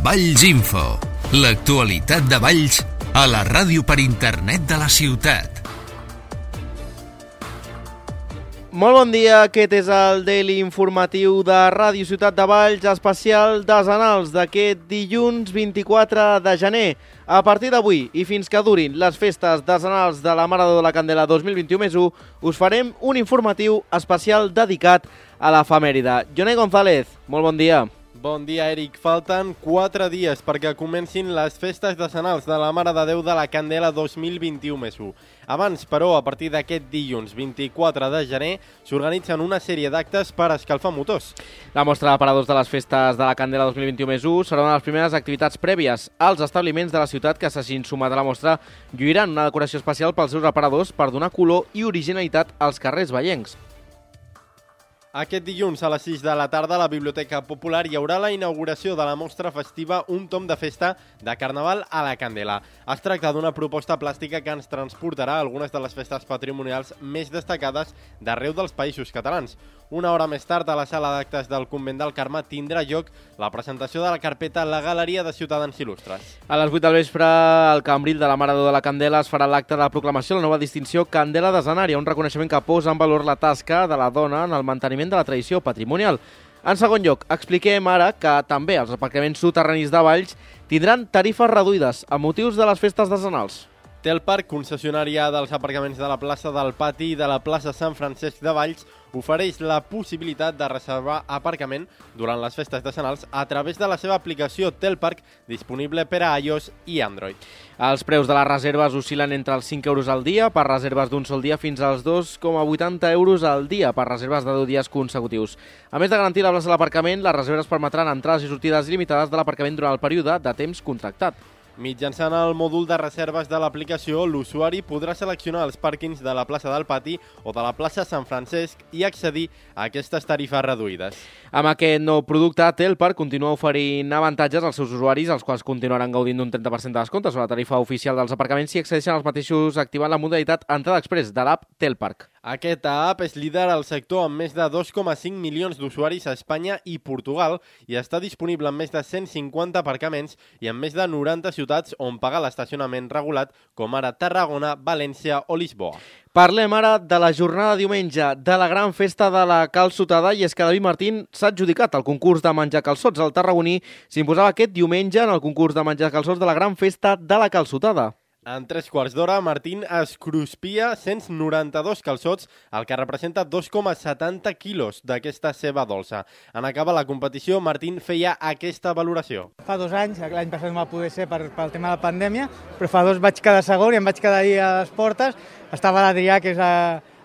Valls Info, l'actualitat de Valls a la ràdio per internet de la ciutat. Molt bon dia, aquest és el Daily Informatiu de Ràdio Ciutat de Valls, especial desenals d'aquest dilluns 24 de gener. A partir d'avui i fins que durin les festes desenals de la Mare de la Candela 2021+1, us farem un informatiu especial dedicat a l'efemèride. Jonai González, molt bon dia. Bon dia, Eric. Falten 4 dies perquè comencin les festes decenals de la Mare de Déu de la Candela 2021+1. Abans, però, a partir d'aquest dilluns 24 de gener, s'organitzen una sèrie d'actes per escalfar motors. La mostra d'aparadors de les festes de la Candela 2021+1 serà una de les primeres activitats prèvies. Els establiments de la ciutat que s'hagin sumat a la mostra lluiran una decoració especial pels seus aparadors per donar color i originalitat als carrers vallencs. Aquest dilluns a les 6 de la tarda a la Biblioteca Popular hi haurà la inauguració de la mostra festiva Un tom de festa de Carnaval a la Candela. Es tracta d'una proposta plàstica que ens transportarà a algunes de les festes patrimonials més destacades d'arreu dels països catalans. Una hora més tard, a la sala d'actes del Convent del Carme tindrà lloc la presentació de la carpeta La Galeria de Ciutadans Il·lustres. A les 8 del vespre, al Cambril de la Mare de la Candela es farà l'acte de proclamació de la nova distinció Candela Decenària, un reconeixement que posa en valor la tasca de la dona en el manteniment de la tradició patrimonial. En segon lloc, expliquem ara que també els aparcaments soterranis de Valls tindran tarifes reduïdes a motius de les festes decenals. Telparc, concessionària dels aparcaments de la plaça del Pati i de la plaça Sant Francesc de Valls, ofereix la possibilitat de reservar aparcament durant les festes decenals a través de la seva aplicació Telparc, disponible per a iOS i Android. Els preus de les reserves oscil·len entre els 5 euros al dia per reserves d'un sol dia fins als 2,80 euros al dia per reserves de 10 dies consecutius. A més de garantir la plaça de l'aparcament, les reserves permetran entrades i sortides il·limitades de l'aparcament durant el període de temps contractat. Mitjançant el mòdul de reserves de l'aplicació, l'usuari podrà seleccionar els pàrquings de la plaça del Pati o de la plaça Sant Francesc i accedir a aquestes tarifes reduïdes. Amb aquest nou producte, Telparc continua oferint avantatges als seus usuaris, els quals continuaran gaudint d'un 30% de descompte sobre la tarifa oficial dels aparcaments si accedeixen als mateixos activant la modalitat entrada express de l'app Telparc. Aquesta app és líder al sector amb més de 2,5 milions d'usuaris a Espanya i Portugal i està disponible en més de 150 aparcaments i en més de 90 ciutats on pagar l'estacionament regulat, com ara Tarragona, València o Lisboa. Parlem ara de la jornada de diumenge de la gran festa de la calçotada, i és que David Martín s'ha adjudicat el concurs de menjar calçots. El tarragoní s'imposava aquest diumenge en el concurs de menjar calçots de la gran festa de la calçotada. En 3/4 d'hora, Martín es cruspia 192 calçots, el que representa 2,70 quilos d'aquesta ceba dolça. En acabar la competició, Martín feia aquesta valoració. Fa 2 anys, l'any passat no va poder ser pel tema de la pandèmia, però fa 2 vaig quedar segon i em vaig quedar ahir a les portes. Estava l'Adrià, que és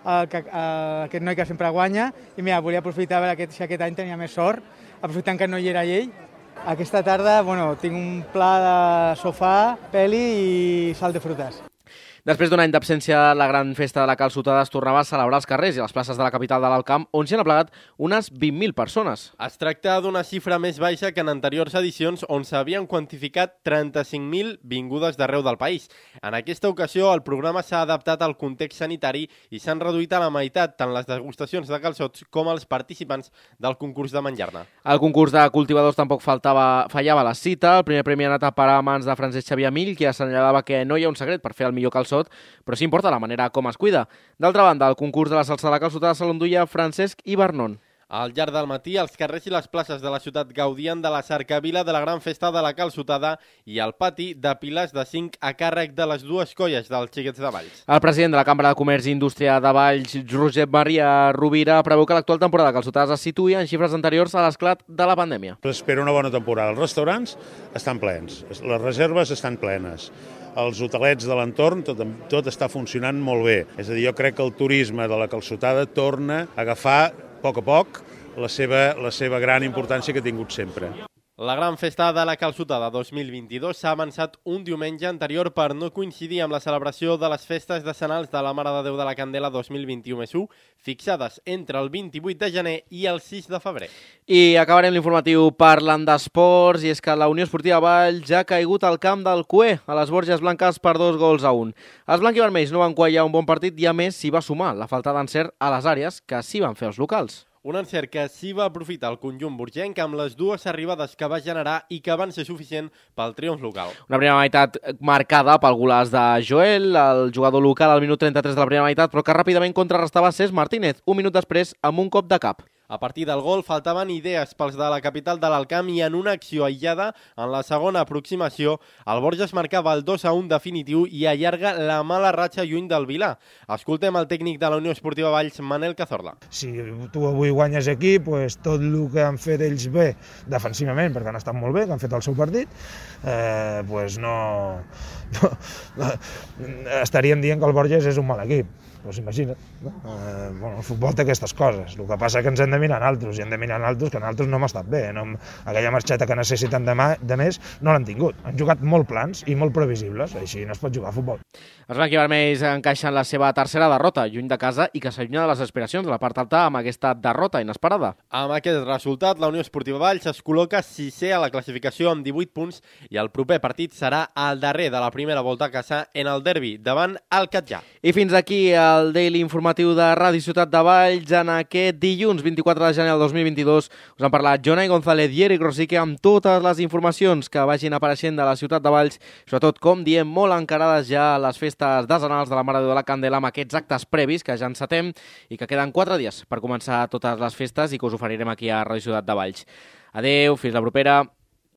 aquest noi que sempre guanya, i mira, volia aprofitar a veure si aquest any tenia més sort, aprofitant que no hi era ell. Aquesta tarda tinc un pla de sofà, peli i sal de frutes. Després d'un any d'absència, la gran festa de la calçotada es tornava a celebrar als carrers i a les places de la capital de l'Alt Camp, on s'hi han aplegat unes 20.000 persones. Es tracta d'una xifra més baixa que en anteriors edicions, on s'havien quantificat 35.000 vingudes d'arreu del país. En aquesta ocasió, el programa s'ha adaptat al context sanitari i s'han reduït a la meitat tant les degustacions de calçots com els participants del concurs de menjar-ne. El concurs de cultivadors tampoc fallava la cita. El primer premi ha anat a parar a mans de Francesc Xavier Amill, que assenyalava que no hi ha un secret per fer el millor calçot, però sí importa la manera com es cuida. D'altra banda, el concurs de la salsa de la calçotada se l'enduia Francesc Ibarnon. Al llarg del matí, els carrers i les places de la ciutat gaudien de la cercavila de la gran festa de la calçotada i al pati de pilars de 5 a càrrec de les dues colles dels Xiquets de Valls. El president de la Cambra de Comerç i Indústria de Valls, Josep Maria Rovira, preveu que l'actual temporada de calçotades se situï en xifres anteriors a l'esclat de la pandèmia. Espera una bona temporada. Els restaurants estan plens, les reserves estan plenes. Els hotelets de l'entorn, tot està funcionant molt bé. És a dir, jo crec que el turisme de la calçotada torna a agafar a poc la seva gran importància que ha tingut sempre. La gran festa de la calçotada 2022 s'ha avançat un diumenge anterior per no coincidir amb la celebració de les festes decenals de la Mare de Déu de la Candela 2021+1, fixades entre el 28 de gener i el 6 de febrer. I acabarem l'informatiu parlant d'esports, i és que la Unió Esportiva Valls ja ha caigut al camp del Cué, a les Borges Blanques per 2-1. Els blanquivermells no van quallar un bon partit i a més s'hi va sumar la falta d'encert a les àrees que sí van fer els locals. Un encert que sí va aprofitar el conjunt burgenc amb les dues arribades que va generar i que van ser suficient pel triomf local. Una primera meitat marcada pel golaç de Joel, el jugador local al minut 33 de la primera meitat, però que ràpidament contrarrestava Cesc Martínez, un minut després amb un cop de cap. A partir del gol faltaven idees pels de la capital de l'Alcamp i en una acció aïllada, en la segona aproximació, el Borges marcava el 2-1 definitiu i allarga la mala ratxa lluny del Vilà. Escoltem el tècnic de la Unió Esportiva Valls, Manel Cazorla. Si tu avui guanyes aquí, pues, tot el que han fet ells bé defensivament, perquè han estat molt bé, que han fet el seu partit, pues no estaríem dient que el Borges és un mal equip. Doncs imagina't, no? El futbol té aquestes coses. El que passa és que ens hem de mirar en altres, i hem de mirar en altres que en altres no hem estat bé. No, aquella marxeta que necessiten de més no l'han tingut. Han jugat molt plans i molt previsibles, així no es pot jugar a futbol. Els blanquivermells encaixen la seva tercera derrota, lluny de casa i que s'allunya de les aspiracions de la part alta amb aquesta derrota inesperada. Amb aquest resultat, la Unió Esportiva Valls es col·loca 6è a la classificació amb 18 punts i el proper partit serà el darrer de la primera volta a casa en el derbi davant el Catllà. I fins aquí el Daily Informatiu de Ràdio Ciutat de Valls en aquest dilluns 24 de gener del 2022. Us han parlat Jonai González i Eric Rosique amb totes les informacions que vagin apareixent de la Ciutat de Valls, sobretot, com diem, molt encarades ja a les festes desenals de la Mare de Déu de la Candela amb aquests actes previs que ja encetem i que queden 4 dies per començar totes les festes i que us oferirem aquí a Ràdio Ciutat de Valls. Adeu, fins la propera.